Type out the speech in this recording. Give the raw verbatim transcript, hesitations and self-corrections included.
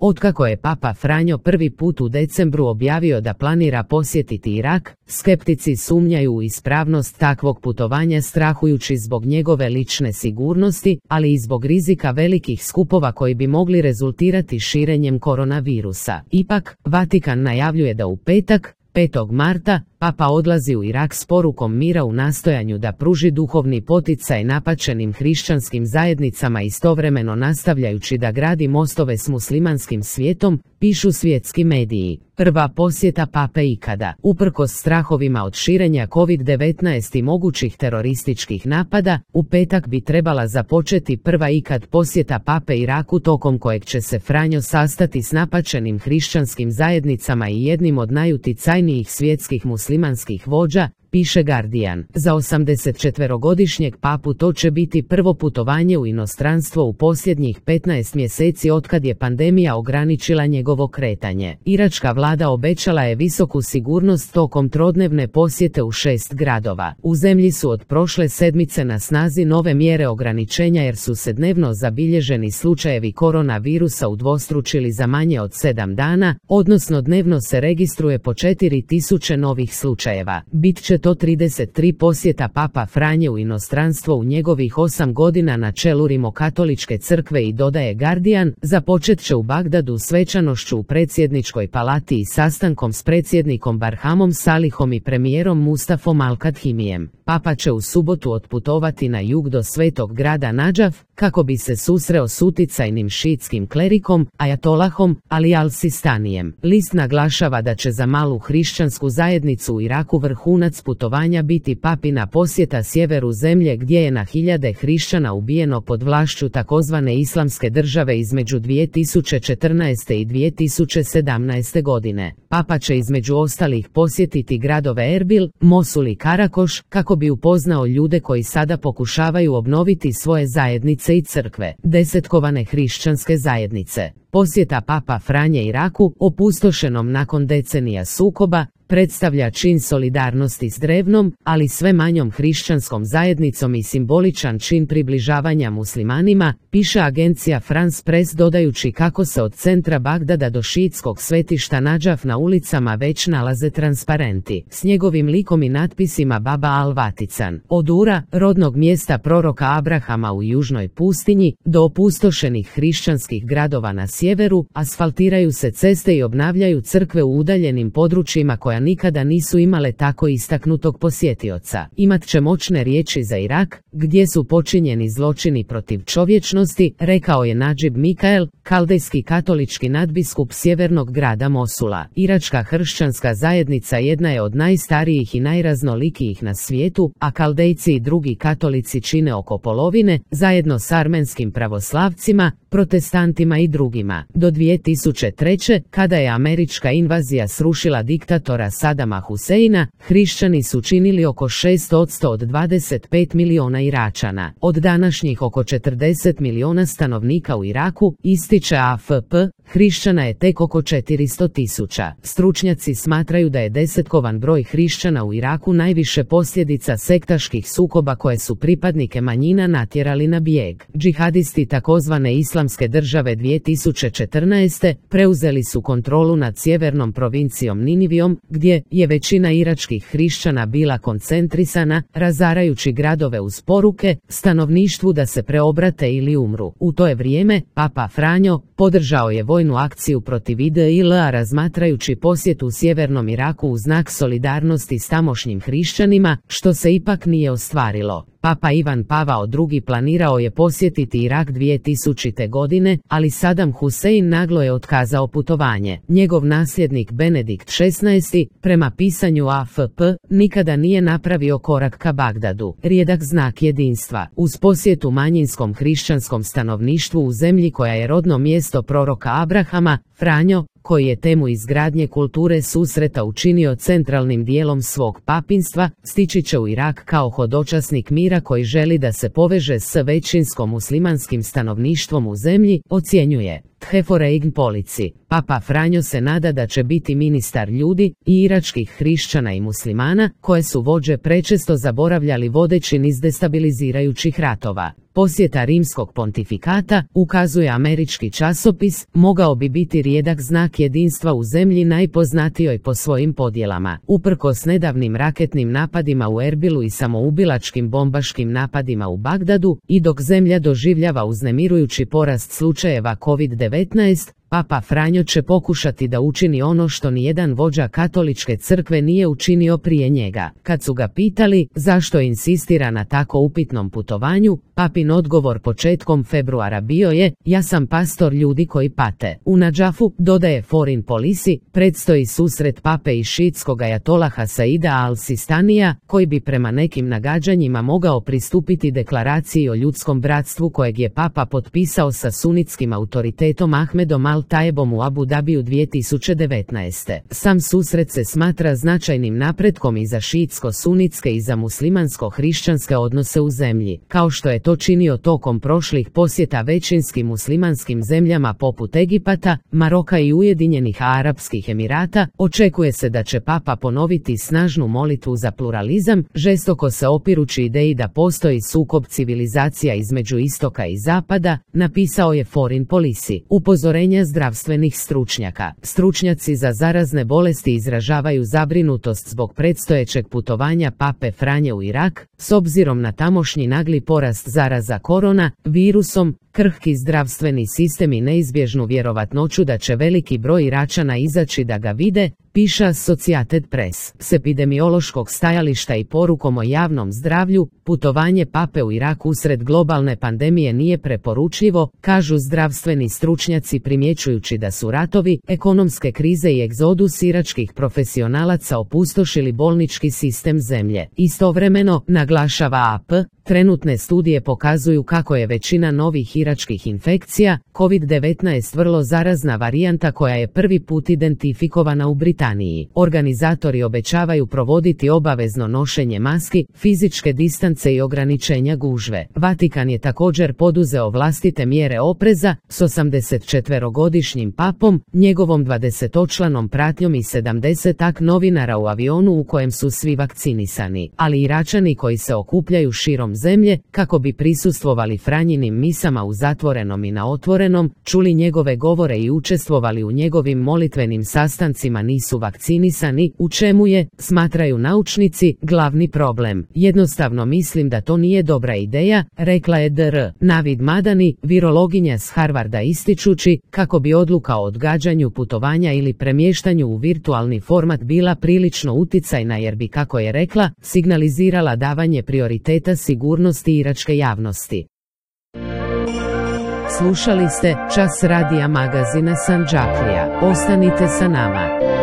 Otkako je Papa Franjo prvi put u decembru objavio da planira posjetiti Irak, skeptici sumnjaju u ispravnost takvog putovanja strahujući zbog njegove lične sigurnosti, ali i zbog rizika velikih skupova koji bi mogli rezultirati širenjem koronavirusa. Ipak, Vatikan najavljuje da u petak, petog marta, Papa odlazi u Irak s porukom mira u nastojanju da pruži duhovni poticaj napaćenim hrišćanskim zajednicama istovremeno nastavljajući da gradi mostove s muslimanskim svijetom, pišu svjetski mediji. Prva posjeta Pape ikada. Uprkos strahovima od širenja kovid devetnaest i mogućih terorističkih napada, u petak bi trebala započeti prva ikad posjeta Pape Iraku tokom kojeg će se Franjo sastati s napaćenim hrišćanskim zajednicama i jednim od najuticajnijih svjetskih muslimanskih vođa, piše Guardian. Za osamdesetčetverogodišnjeg papu to će biti prvo putovanje u inostranstvo u posljednjih petnaest mjeseci otkad je pandemija ograničila njegovo kretanje. Iračka vlada obećala je visoku sigurnost tokom trodnevne posjete u šest gradova. U zemlji su od prošle sedmice na snazi nove mjere ograničenja jer su se dnevno zabilježeni slučajevi koronavirusa udvostručili za manje od sedam dana, odnosno dnevno se registruje po četiri tisuće novih slučajeva. Bit će to trideset tri posjeta Papa Franje u inostranstvo u njegovih osam godina na čelu Rimokatoličke crkve i dodaje Guardian, započet će u Bagdadu svečanošću u predsjedničkoj palati i sastankom s predsjednikom Barhamom Salihom i premijerom Mustafom Al-Kadhimijem. Papa će u subotu otputovati na jug do svetog grada Nadžaf, kako bi se susreo s uticajnim šiitskim klerikom, ajatolahom Ali Al-Sistanijem. List naglašava da će za malu hrišćansku zajednicu u Iraku vrhunac putovanja biti papina posjeta sjeveru zemlje gdje je na hiljade hrišćana ubijeno pod vlašću takozvane islamske države između dvije tisuće četrnaeste i dvije tisuće sedamnaeste godine. Papa će između ostalih posjetiti gradove Erbil, Mosul i Karakoš kako bi upoznao ljude koji sada pokušavaju obnoviti svoje zajednice i crkve. Desetkovane hrišćanske zajednice. Posjeta Papa Franje Iraku, opustošenom nakon decenija sukoba, predstavlja čin solidarnosti s drevnom, ali sve manjom hrišćanskom zajednicom i simboličan čin približavanja muslimanima, piše agencija France Press dodajući kako se od centra Bagdada do šiitskog svetišta Nadžaf na ulicama već nalaze transparenti s njegovim likom i natpisima Baba al-Vatican. Od Ura, rodnog mjesta proroka Abrahama u južnoj pustinji, do opustošenih hrišćanskih gradova na sjeveru, asfaltiraju se ceste i obnavljaju crkve u udaljenim područjima koja nikada nisu imale tako istaknutog posjetioca. Imat će moćne riječi za Irak, gdje su počinjeni zločini protiv čovječnosti, rekao je Nadžib Mikael, kaldejski katolički nadbiskup sjevernog grada Mosula. Iračka hršćanska zajednica jedna je od najstarijih i najraznolikijih na svijetu, a kaldejci i drugi katolici čine oko polovine, zajedno s armenskim pravoslavcima, protestantima i drugima. Do dvije tisuće treće, kada je američka invazija srušila diktatora Sadama Huseina, hrišćani su činili oko šest posto od dvadeset pet miliona Iračana. Od današnjih oko četrdeset miliona stanovnika u Iraku, ističe A F P, hrišćana je tek oko četiristo tisuća. Stručnjaci smatraju da je desetkovan broj hrišćana u Iraku najviše posljedica sektaških sukoba koje su pripadnike manjina natjerali na bijeg. Džihadisti takozvane islamske države dvije tisuće četrnaeste preuzeli su kontrolu nad sjevernom provincijom Ninivijom, gdje je većina iračkih hrišćana bila koncentrisana, razarajući gradove uz poruke stanovništvu da se preobrate ili umru. U to je vrijeme, Papa Franjo podržao je vojnu akciju protiv I D I L-a razmatrajući posjet u sjevernom Iraku u znak solidarnosti s tamošnjim hrišćanima, što se ipak nije ostvarilo. Papa Ivan Pavao drugi planirao je posjetiti Irak dvije tisućite godine, ali Sadam Husein naglo je otkazao putovanje. Njegov nasljednik Benedikt šesnaesti, prema pisanju A F P, nikada nije napravio korak ka Bagdadu. Rijedak znak jedinstva. Uz posjetu manjinskom hrišćanskom stanovništvu u zemlji koja je rodno mjesto proroka Abrahama, Franjo, koji je temu izgradnje kulture susreta učinio centralnim dijelom svog papinstva, stići će u Irak kao hodočasnik mira koji želi da se poveže s većinskom muslimanskim stanovništvom u zemlji, ocjenjuje Theforeign Policy. Papa Franjo se nada da će biti ministar ljudi i iračkih hrišćana i muslimana, koje su vođe prečesto zaboravljali vodeći niz destabilizirajućih ratova. Posjeta rimskog pontifikata, ukazuje američki časopis, mogao bi biti rijedak znak jedinstva u zemlji najpoznatijoj po svojim podjelama. Uprkos nedavnim raketnim napadima u Erbilu i samoubilačkim bombaškim napadima u Bagdadu, i dok zemlja doživljava uznemirujući porast slučajeva kovid devetnaest, Papa Franjo će pokušati da učini ono što nijedan vođa katoličke crkve nije učinio prije njega. Kad su ga pitali zašto insistira na tako upitnom putovanju, papin odgovor početkom februara bio je: ja sam pastor ljudi koji pate. U Nadžafu, dodaje Foreign Policy, predstoji susret pape i šiitskog ajatolaha Saida al-Sistanija, koji bi prema nekim nagađanjima mogao pristupiti deklaraciji o ljudskom bratstvu kojeg je papa potpisao sa sunitskim autoritetom Ahmedom Al-Taebom u Abu Dabiju dvije tisuće devetnaeste. Sam susret se smatra značajnim napretkom i za šiitsko-sunitske i za muslimansko-hrišćanske odnose u zemlji, kao što je to činio tokom prošlih posjeta većinskim muslimanskim zemljama poput Egipata, Maroka i Ujedinjenih Arapskih Emirata. Očekuje se da će papa ponoviti snažnu molitvu za pluralizam, žestoko se opirući ideji da postoji sukob civilizacija između istoka i zapada, napisao je Foreign Policy. Upozorenja zdravstvenih stručnjaka. Stručnjaci za zarazne bolesti izražavaju zabrinutost zbog predstojećeg putovanja pape Franje u Irak, s obzirom na tamošnji nagli porast zaraza korona virusom, krhki zdravstveni sistem i neizbježnu vjerovatnoću da će veliki broj Iračana izaći da ga vide, piše Associated Press. S epidemiološkog stajališta i porukom o javnom zdravlju, putovanje pape u Irak usred globalne pandemije nije preporučljivo, kažu zdravstveni stručnjaci, primjećujući da su ratovi, ekonomske krize i egzodus iračkih profesionalaca opustošili bolnički sistem zemlje. Istovremeno, naglašava A P, trenutne studije pokazuju kako je većina novih iračkih infekcija, kovid devetnaest, vrlo zarazna varijanta koja je prvi put identifikovana u Britaniji. Organizatori obećavaju provoditi obavezno nošenje maski, fizičke distance i ograničenja gužve. Vatikan je također poduzeo vlastite mjere opreza, s osamdesetčetverogodišnjim papom, njegovom dvadesetočlanom pratnjom i sedamdesetak novinara u avionu u kojem su svi vakcinisani, ali Iračani koji se okupljaju širom zemlje, kako bi prisustvovali Franjinim misama u zatvorenom i na otvorenom, čuli njegove govore i učestvovali u njegovim molitvenim sastancima, nisu vakcinisani, u čemu je, smatraju naučnici, glavni problem. Jednostavno mislim da to nije dobra ideja, rekla je dr Navid Madani, virologinja s Harvarda, ističući kako bi odluka o odgađanju putovanja ili premještanju u virtualni format bila prilično uticajna jer bi, kako je rekla, signalizirala davanje prioriteta sigurnosti iračke javnosti. Slušali ste Čas radija magazina Sandžaklija. Ostanite sa nama.